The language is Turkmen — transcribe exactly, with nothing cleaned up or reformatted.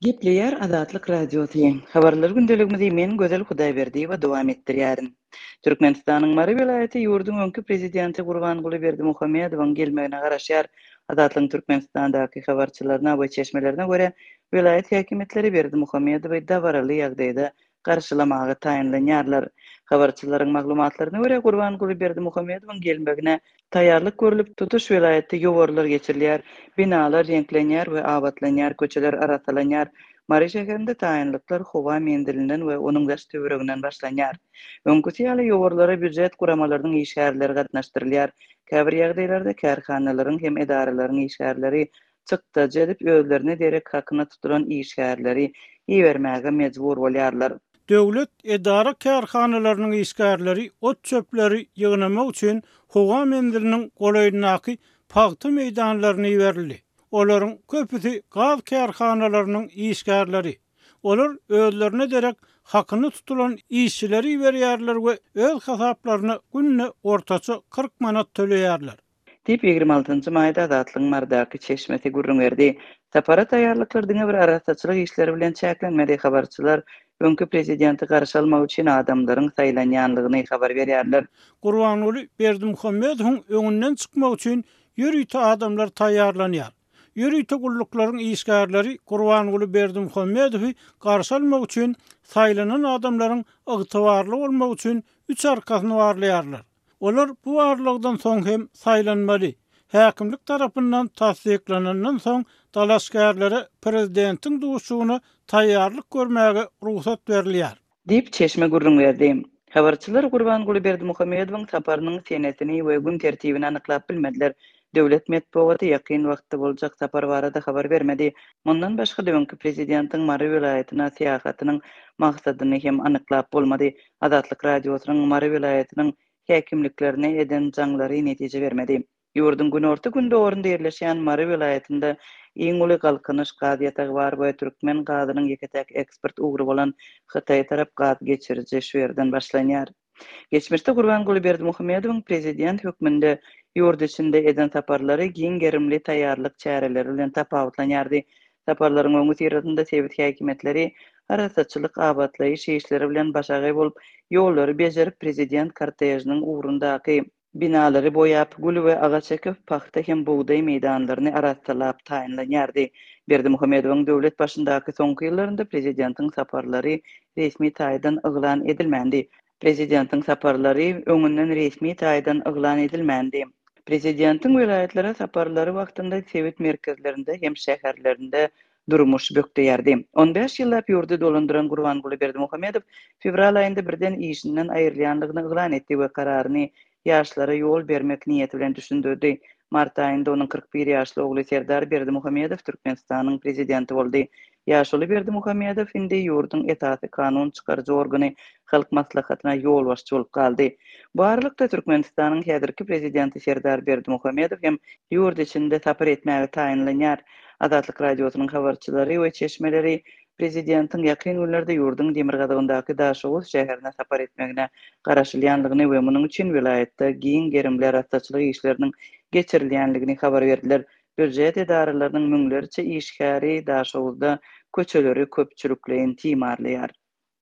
Gepleýär Azatlyk Radiosy. Habarlar gündeligimizi men Gözel Hudaýberdiýewa dowam etdirýärin. Türkmenistanyň Mary welaýaty ýurduň öňki prezidenti Gurbanguly Berdimuhamedowyň gelmegine garaşýar. Azatlygyň Türkmenistandaky habarçylaryna we çeşmelerine görä, welaýat häkimiýetleri Berdimuhamedowy dabaraly ýagdaýda garşylamaga taýynlanýarlar. Habarçylaryň maglumatlaryna görä, Gurbanguly Berdimuhamedowyň gelmegine taýýarlyk görlüp, tutuş welaýatda ýowarlar geçirilýär, binalar reňklenýär we abatlanýar, köçeler arassalanýar. Mary şäherinde taýynlyklar howa menzilinden we onuň daş-töwereginden başlanýar. Öňküsi ýaly ýowarlara býujet guramalarynyň işgärleri gatnaşdyrylýar. Käbir ýagdaýlarda kärhanalaryň hem edaralaryň işgärleri çykdajy edip, özlerine derek hakyna tutulan işgärleri ibermäge mejbur bolýarlar. Döwlet edara-kärhanalarynyň işgärleri ot-çöpleri ýygnamak üçin howa menziliniň golaýyndaky pagta meýdanlaryna iberildi. Olaryň köpüsi gaz kärhanalarynyň işgärleri. Olar özlerine derek hakyna tutulan işçileri iberýärler we öz hasaplaryna günde ortaça kyrk manat töleýärler. Diýip, ýigrimi altynjy maýda Azatlygyň Marydaky çeşmesi gürrüň berdi. Sapara taýýarlyklar diňe bir arassaçylyk işleri bilen çäklenmedi, habarçylar öňki prezidenti garşy almak üçin adamlaryň saýlanýanlygyny habar berýärler. Gurbanguly Berdimuhamedowyň öňünden çykmak üçin ýörite adamlar taýýarlanýar. Ýörite gulluklaryň işgärleri Gurbanguly Berdimuhamedowy garşy almak üçin saýlanan adamlaryň ygtybarly bolmagy üçin üç arkasyny barlaýarlar. Olar bu barlagdan soň hem saýlanmaly. Häkimlik tarapyndan tassyklanandan soň dalaşgärlere prezidentiň duşugyna taýýarlyk görmäge rugsat berilýär. Diýip, çeşme gürrüň berdi. Habarçylar Gurbanguly Berdimuhamedowyň saparynyň senesini we gün tertibini anyklap bilmediler. Döwlet metbugaty ýakyn wagtda boljak sapar barada habar bermedi. Mundan başga-da öňki prezidentiň Mary welaýatyna syýahatynyň maksadyny hem anyklap bolmady. Azatlyk Radiosynyň Mary welaýatynyň häkimliklerine eden jaňlary netije bermedi. Ýurduň günorta-gündogarynda ýerleşýän Mary welaýatynda iň uly Galkynyş gaz ýatagy bar we türkmen gazynyň ýeke-täk eksport ugry bolan Hytaýa tarap gaz geçiriji şu ýerden başlanýar. Geçmişde Gurbanguly Berdimuhamedowyň prezident hökmünde ýurt içinde eden saparlary giň gerimli taýýarlyk çäreleri bilen tapawutlanýardy. Saparlaryň öňüsyrasynda sebit häkimiýetleri arassaçylyk, abatlaýyş işleri bilen başagaý bolup, ýollary bejerip, prezident kortežiniň ugrundaky binalary boýap, gül we agaç ekip, pagta hem bugdaý meýdanlaryny arassalap taýynlanýardy. Berdimuhamedowyň döwlet başyndaky soňky ýyllarynda prezidentiň saparlary resmi taýdan yglan edilmändi. Prezidentiň saparlary öňünden resmi taýdan yglan edilmändi. Prezidentiň welaýatlara saparlary wagtynda sebit merkezlerinde hem şäherlerinde durmuş bökdeýärdi. On bäş ýyllap ýurdy dolandyran Gurbanguly Berdimuhamedow fewral aýynda birden işinden aýrylýanlygyny yglan etdi we kararyny ýaşlara ýol bermek niýeti bilen düşündirdi. Mart aýynda onuň kyrk bir ýaşly ogly Serdar Berdimuhamedow Türkmenistanyň prezidenti boldy. Ýaşuly Berdimuhamedow indi ýurduň esasy kanun çykaryjy organy Halk Maslahatyna ýolbaşçy bolup galdy. Bu aralykda Türkmenistanyň häzirki prezidenti Serdar Berdimuhamedow hem ýurt içinde sapar etmäge taýynlanýar. Azatlyk Radiosynyň habarçylary we çeşmeleri prezidentiň ýakyn günlerde ýurduň demirgazygyndaky Daşoguz şäherine sapar etmegine garaşylýandygyny we munuň üçin welaýatda giň gerimli arassaçylyk işleriniň geçirilýändigini habar berdiler. Býujet edaralarynyň müňlerçe işgäri Daşoguzda köçeleri köpçülikleýin timarlaýar.